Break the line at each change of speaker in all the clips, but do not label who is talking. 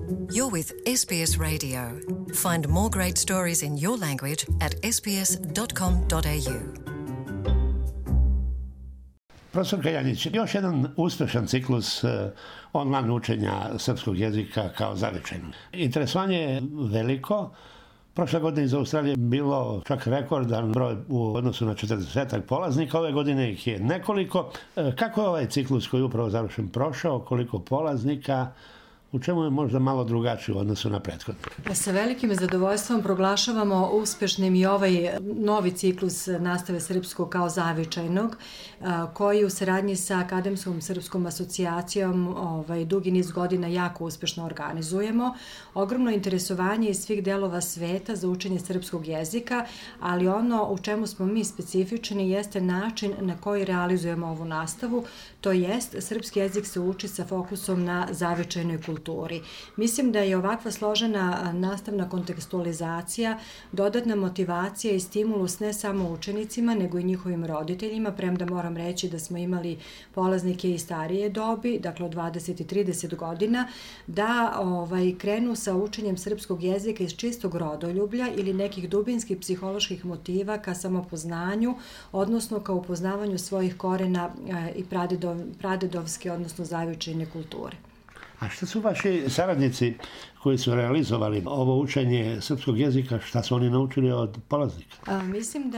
You're with SBS Radio. Find more great stories in your language at sbs.com.au.
Profesor Kaljanić, još jedan uspešan ciklus online učenja srpskog jezika kao zavičajnog. Interesovanje je veliko. Prošle godine iz Australije bilo čak rekordan broj u odnosu na 40 polaznika, ove godine ih je nekoliko. Kako je ovaj ciklus koji je upravo završen prošao, koliko polaznika, u čemu je možda malo drugačiji u odnosu na prethodni?
Sa velikim zadovoljstvom proglašavamo uspešnim i ovaj novi ciklus nastave srpskog kao zavičajnog, koji u saradnji sa Akademskom srpskom asocijacijom dugi niz godina jako uspešno organizujemo. Ogromno interesovanje iz svih delova sveta za učenje srpskog jezika, ali ono u čemu smo mi specifični jeste način na koji realizujemo ovu nastavu, to jest srpski jezik se uči sa fokusom na zavičajnoj kulturi. Mislim da je ovakva složena nastavna kontekstualizacija dodatna motivacija i stimulus ne samo učenicima, nego i njihovim roditeljima, premda moram reći da smo imali polaznike i starije dobi, dakle od 20 i 30 godina, da krenu sa učenjem srpskog jezika iz čistog rodoljublja ili nekih dubinskih psiholoških motiva ka samopoznanju, odnosno ka upoznavanju svojih korena i pradedovske, odnosno zavičajne kulture.
A šta su vaši saradnici koji su realizovali ovo učenje srpskog jezika, šta su oni naučili od polaznika?
Mislim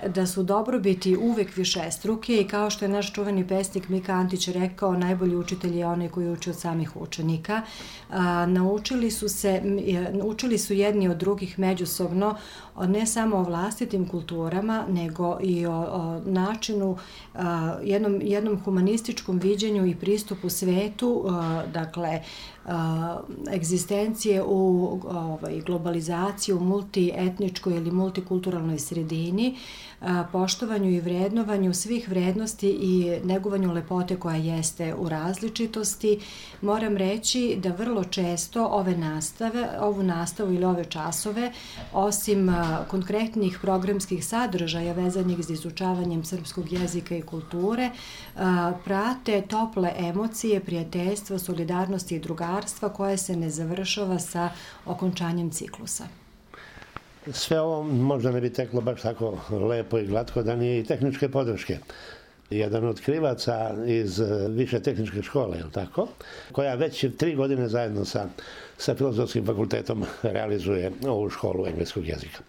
da su dobrobiti uvek višestruke i kao što je naš čuveni pesnik Mika Antić rekao, najbolji učitelj je onaj koji uči od samih učenika. Učili su jedni od drugih međusobno, ne samo o vlastitim kulturama, nego i o načinu, jednom humanističkom viđenju i pristupu svetu, dakle, egzistencije u globalizaciji, u multietničkoj ili multikulturalnoj sredini, poštovanju i vrednovanju svih vrednosti i negovanju lepote koja jeste u različitosti. Moram reći da vrlo često ovu nastavu ili ove časove, osim konkretnih programskih sadržaja vezanih za izučavanjem srpskog jezika i kulture, prate tople emocije, prijateljstva, solidarnosti i drugarstva koje se ne završava sa okončanjem ciklusa.
Sve ovo možda ne bi teklo baš tako lepo i glatko da nije i tehničke podrške. Jedan od krivaca iz više tehničke škole, je li tako? Koja već 3 godine zajedno sa Filozofskim fakultetom realizuje ovu školu engleskog jezika.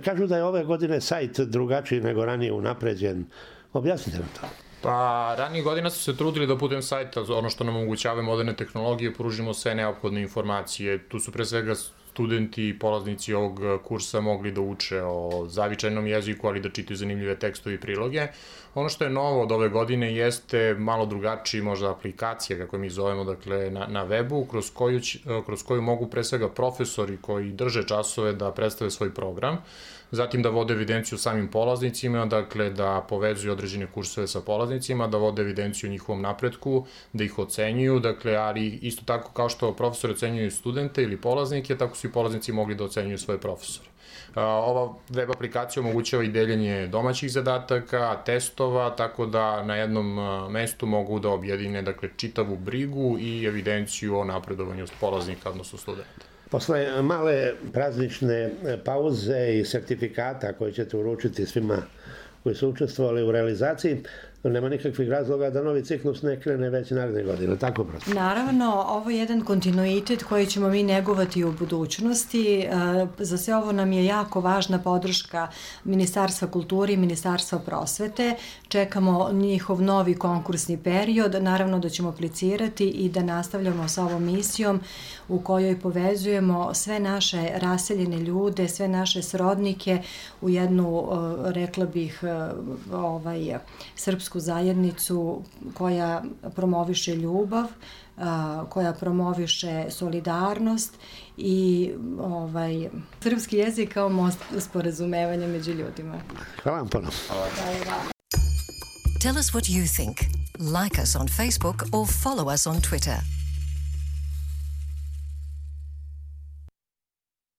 Kažu da je ove godine sajt drugačiji nego ranije unapređen. Objasnite nam to.
Pa, ranije godina su se trudili da putem sajta, ono što nam omogućava moderne tehnologije, pružimo sve neophodne informacije. Tu su pre svega studenti i polaznici ovog kursa mogli da uče o zavičajnom jeziku, ali da čitaju zanimljive tekstove i priloge. Ono što je novo od ove godine jeste malo drugačiji možda aplikacija, kako mi zovemo, dakle na webu, kroz koju mogu pre svega profesori koji drže časove da predstave svoj program, zatim da vode evidenciju samim polaznicima, dakle da povezuju određene kursove sa polaznicima, da vode evidenciju o njihovom napretku, da ih ocenjuju, dakle, ali isto tako kao što profesori ocenjuju studente ili polaznike, tako su i polaznici mogli da ocenjuju svoje profesore. Ova web aplikacija omogućava i deljenje domaćih zadataka, testova, tako da na jednom mestu mogu da objedine, dakle, čitavu brigu i evidenciju o napredovanju polaznika, odnosno studenta.
Posle male praznične pauze i sertifikata koje ćete uručiti svima koji su učestvovali u realizaciji, nema nikakvih razloga da novi ciklus ne krene već naredne godine, tako prosto?
Naravno, ovo je jedan kontinuitet koji ćemo mi negovati u budućnosti. Za sve ovo nam je jako važna podrška Ministarstva kulture i Ministarstva prosvete. Čekamo njihov novi konkursni period. Naravno da ćemo aplicirati i da nastavljamo sa ovom misijom u kojoj povezujemo sve naše raseljene ljude, sve naše srodnike u jednu, rekla bih, srpsku zajednicu koja promoviše ljubav, koja promoviše solidarnost i srpski jezik kao most sporazumevanja među ljudima.
Hvala vam puno.
Tell us what you think. Like us on Facebook or follow us on Twitter.